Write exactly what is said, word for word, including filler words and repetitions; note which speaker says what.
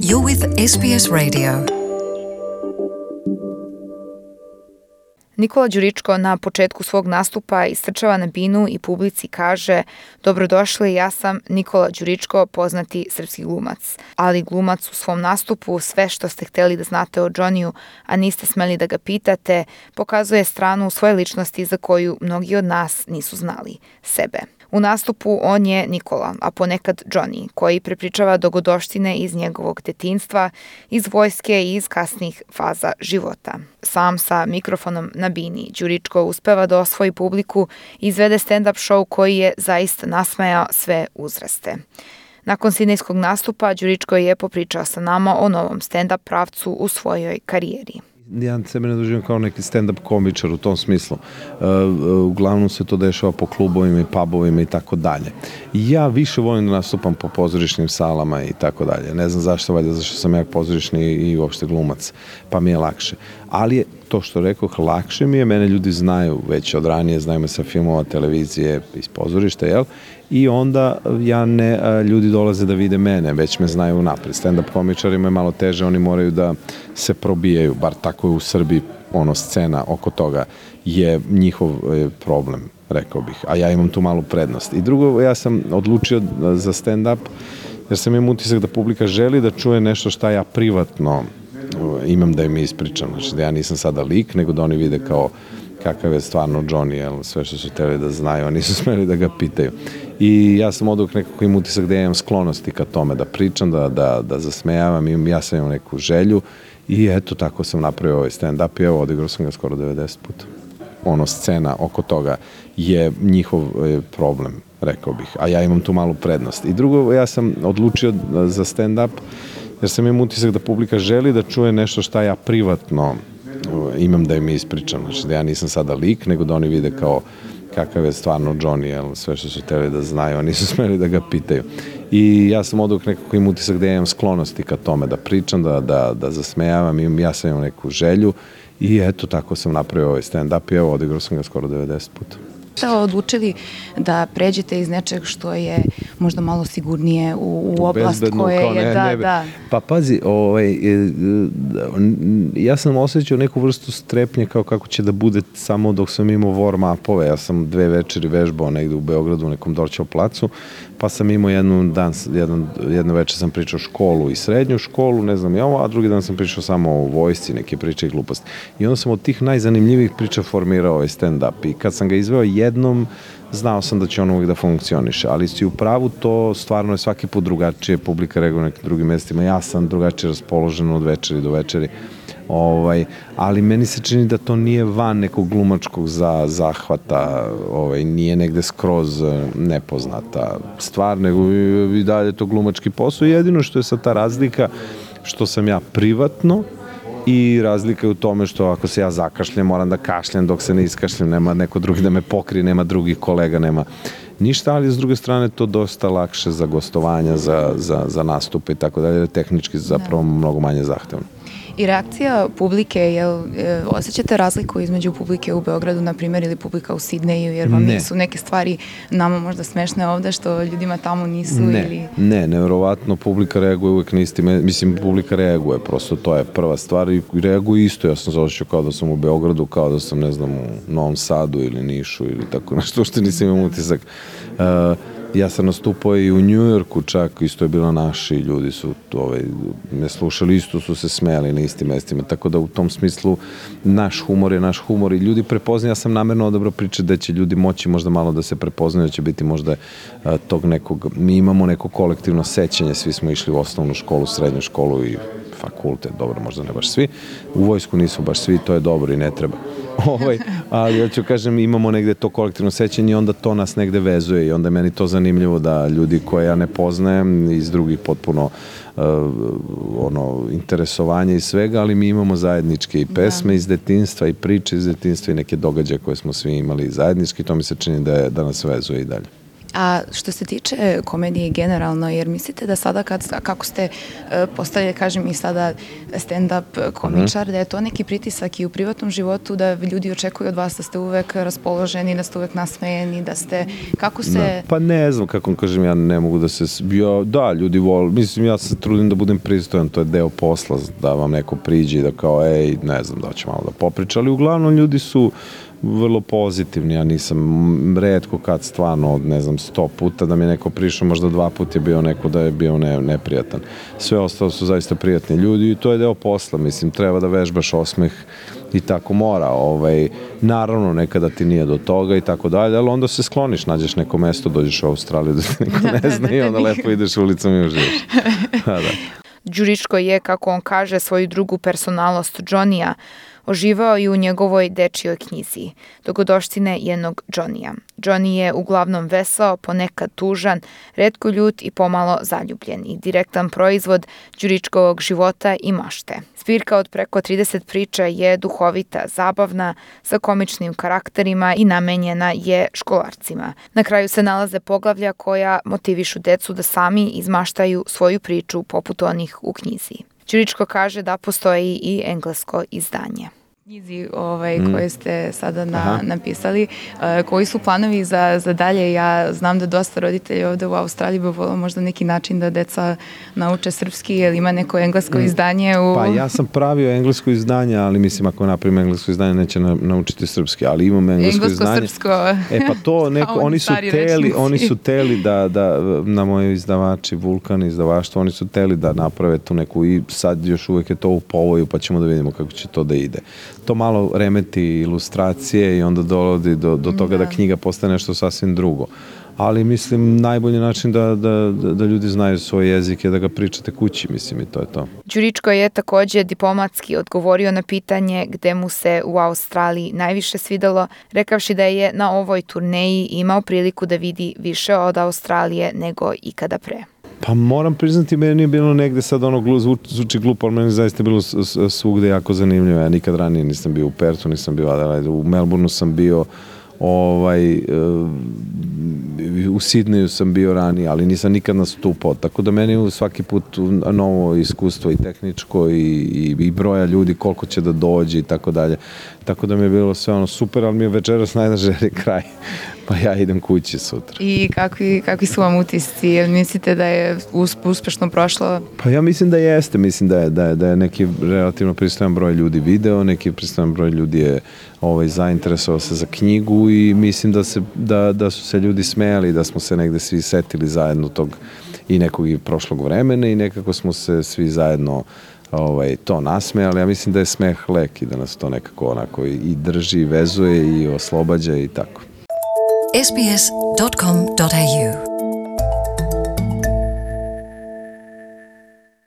Speaker 1: You're with S B S Radio.
Speaker 2: Nikola Đuričko na početku svog nastupa istrčava na binu i publici kaže: dobrodošli, ja sam Nikola Đuričko, poznati srpski glumac. Ali glumac u svom nastupu sve što ste hteli da znate o Johnnyju, a niste smeli da ga pitate, pokazuje stranu svoje ličnosti za koju mnogi od nas nisu znali, sebe. U nastupu on je Nikola, a ponekad Johnny, koji prepričava dogodoštine iz njegovog detinjstva, iz vojske i iz kasnih faza života. Sam sa mikrofonom na bini, Đuričko uspeva da osvoji publiku i izvede stand-up show koji je zaista nasmejao sve uzraste. Nakon sidnejskog nastupa, Đuričko je popričao sa nama o novom stand-up pravcu u svojoj karijeri.
Speaker 3: Ja sebe ne doživim kao neki stand-up komičar u tom smislu. Uh, uglavnom se to dešava po klubovima i pubovima i tako dalje. Ja više volim da nastupam po pozorišnim salama i tako dalje. Ne znam zašto, valjda zašto sam ja pozorišni i uopšte glumac, pa mi je lakše. Ali je to što rekoh, lakše mi je, mene ljudi znaju već od ranije, znaju me sa filmova, televizije, iz pozorišta, jel? I onda ja ne, ljudi dolaze da vide mene, već me znaju napred. Stand-up komičarima je malo teže, oni moraju da se probijaju, bar tako je u Srbiji, ono, scena oko toga je njihov problem, rekao bih, a ja imam tu malu prednost. I drugo, ja sam odlučio za stand-up, jer sam imam utisak da publika želi da čuje nešto šta ja privatno imam da im ispričam, znači da ja nisam sada lik, nego da oni vide kao kakav je stvarno Johnny, jel, sve što su hteli da znaju, a nisu smeli da ga pitaju. I ja sam oduvek nekako imam utisak da ja imam sklonosti ka tome, da pričam, da, da, da zasmejavam, imam, ja sam imam neku želju i eto, tako sam napravio ovaj stand-up i evo, odigrao sam ga skoro devedeset puta. Ono, scena oko toga je njihov problem, rekao bih, a ja imam tu malu prednost. I drugo, ja sam odlučio za stand-up, jer sam imam utisak da publika želi da čuje nešto šta ja privatno imam da im ispričam, znači da ja nisam sada lik, nego da oni vide kao kakav je stvarno Johnny, jel, sve što su hteli da znaju, a nisu smeli da ga pitaju. I ja sam oduvek nekako imam utisak da ja imam sklonosti ka tome, da pričam, da, da, da zasmejavam, imam, ja sam imam neku želju i eto, tako sam napravio ovaj stand-up i evo, odigrao sam ga skoro devedeset puta.
Speaker 4: Šta odlučili da pređete iz nečeg što je možda malo sigurnije u, u oblast
Speaker 3: bezbedno,
Speaker 4: koje
Speaker 3: ne,
Speaker 4: je, da,
Speaker 3: ne,
Speaker 4: da.
Speaker 3: Pa pazi, ovaj, ja sam osjećao neku vrstu strepnje kao kako će da bude samo dok sam imao warm-upove. Ja sam dve večeri vežbao negde u Beogradu, u nekom Dorćev placu, pa sam imao jednu dan, jedan, jednu večer sam pričao školu i srednju školu, ne znam ja ovo, a drugi dan sam pričao samo o vojsci, neke priče i gluposti. I onda sam od tih najzanimljivih priča formirao ovaj stand-up i kad sam ga izveo jednom, znao sam da će on uvijek da funkcioniše, ali si u pravu, to stvarno je svaki put drugačije, publika reaguje na nekim drugim mestima, ja sam drugačije raspoložen od večeri do večeri, ovaj, ali meni se čini da to nije van nekog glumačkog za, zahvata, ovaj, nije negde skroz nepoznata stvar, nego i, i dalje to glumački posao, jedino što je sad ta razlika, što sam ja privatno, i razlika je u tome što ako se ja zakašljem, moram da kašljem dok se ne iskašljem, nema neko drugi da me pokrije, nema drugih kolega, nema ništa, ali s druge strane to dosta lakše za gostovanja, za, za, za nastupe i tako dalje, tehnički zapravo mnogo manje zahtevno.
Speaker 4: I reakcija publike, jel, osjećate razliku između publike u Beogradu, na primjer, ili publika u Sidneju, jer vam
Speaker 3: ne.
Speaker 4: nisu neke stvari nama možda smešne ovde, što ljudima tamo nisu?
Speaker 3: Ne,
Speaker 4: ili...
Speaker 3: ne, nevjerovatno, publika reaguje uvek na isti, mislim, publika reaguje, prosto to je prva stvar i reaguje isto, ja sam se osjećao kao da sam u Beogradu, kao da sam, ne znam, u Novom Sadu ili Nišu ili tako nešto, što nisam imam utisak. Uh, Ja sam nastupao i u Njujorku čak, isto je bilo naši ljudi su ovaj, me slušali, isto su se smejali na istim mestima, tako da u tom smislu naš humor je naš humor i ljudi prepoznaju, ja sam namerno odabrao priče da će ljudi moći možda malo da se prepoznaju, da će biti možda a, tog nekog, mi imamo neko kolektivno sećanje, svi smo išli u osnovnu školu, srednju školu i fakultet, dobro, možda ne baš svi, u vojsku nisu baš svi, to je dobro i ne treba. Ovaj, ali ja ću kažem, imamo negde to kolektivno sećanje i onda to nas negde vezuje i onda je meni to zanimljivo da ljudi koje ja ne poznajem iz drugih potpuno uh, ono, interesovanja i svega, ali mi imamo zajedničke i pesme da. iz detinjstva i priče iz detinjstva i neke događaje koje smo svi imali zajednički, to mi se čini da, je, da nas vezuje i dalje.
Speaker 4: A što se tiče komedije generalno, jer mislite da sada kad, kako ste uh, postali, kažem i sada stand-up komičar, mm-hmm. da je to neki pritisak i u privatnom životu, da ljudi očekuju od vas da ste uvek raspoloženi, da ste uvek nasmejeni, da ste, kako se...
Speaker 3: Da, pa ne znam, kako vam kažem, ja ne mogu da se... Ja, da, ljudi vole, mislim, ja se trudim da budem pristojan, to je deo posla, da vam neko priđe i da kao, ej, ne znam, da će malo da popriča, ali uglavnom ljudi su vrlo pozitivni, ja nisam retko kad stvarno od ne znam sto puta da mi je neko prišao, možda dva puta je bio neko da je bio ne, neprijatan. Sve ostalo su zaista prijatni ljudi i to je deo posla, mislim, treba da vežbaš osmeh i tako mora, ovaj, naravno nekada ti nije do toga i tako dalje, ali onda se skloniš, nađeš neko mesto, dođeš u Australiju da te niko ne zna i onda lepo ideš ulicom i uživaš. Da.
Speaker 2: Đuričko je, kako on kaže, svoju drugu personalnost Johnny-a oživao i u njegovoj dečijoj knjizi Dogodoštine jednog Johnny-a. Johnny je uglavnom vesao, ponekad tužan, retko ljut i pomalo zaljubljen i direktan proizvod Đuričkovog života i mašte. Zbirka od preko trideset priča je duhovita, zabavna, sa komičnim karakterima i namenjena je školarcima. Na kraju se nalaze poglavlja koja motivišu decu da sami izmaštaju svoju priču poput onih u knjizi. Đuričko kaže da postoji i englesko izdanje.
Speaker 4: Knjizi ovaj, mm. koje ste sada na, napisali, uh, koji su planovi za, za dalje? Ja znam da dosta roditelja ovde u Australiji bi volio možda neki način da deca nauče srpski, jer ima neko englesko mm. izdanje u...
Speaker 3: Pa ja sam pravio englesko izdanje, ali mislim ako napravim englesko izdanje neće na, naučiti srpski, ali imam englesko, englesko izdanje.
Speaker 4: Englesko-srpsko.
Speaker 3: E pa to neko, oni su teli, oni su teli da, da na moji izdavači, Vulkan izdavaštvo, oni su teli da naprave tu neku i sad još uvek je to u povoju, pa ćemo da vidimo kako će to da ide. To malo remeti ilustracije i onda dolazi do, do toga da. da knjiga postane nešto sasvim drugo. Ali mislim najbolji način da, da, da ljudi znaju svoj jezik je da ga pričate kući, mislim i to je to.
Speaker 2: Đuričko je takođe diplomatski odgovorio na pitanje gde mu se u Australiji najviše svidelo, rekavši da je na ovoj turneji imao priliku da vidi više od Australije nego ikada pre.
Speaker 3: Pa moram priznati, meni je bilo negde sad ono zvuči glupo, ali meni zaista bilo svugde jako zanimljivo. Ja nikad ranije nisam bio u Perthu, nisam bio Adelaide, u Melbourneu sam bio, ovaj, u Sidneju sam bio ranije, ali nisam nikad nastupao. Tako da meni svaki put novo iskustvo i tehničko i, i, i broja ljudi, koliko će da dođe i tako dalje. Tako da mi je bilo sve ono super, ali mi je večeras najdraže kraj. Pa ja idem kući sutra.
Speaker 4: I kakvi, kakvi su vam utisci? Jel mislite da je uspešno prošlo?
Speaker 3: Pa ja mislim da jeste. Mislim da je, da je, da je neki relativno pristojan broj ljudi video, neki pristojan broj ljudi je ovaj, zainteresovao se za knjigu i mislim da, se, da, da su se ljudi smejali, da smo se negde svi setili zajedno tog i nekog i prošlog vremena i nekako smo se svi zajedno ovaj, to nasmejali. Ja mislim da je smeh lek i da nas to nekako onako i drži, i vezuje i oslobađa i tako.
Speaker 1: s b s dot com dot a u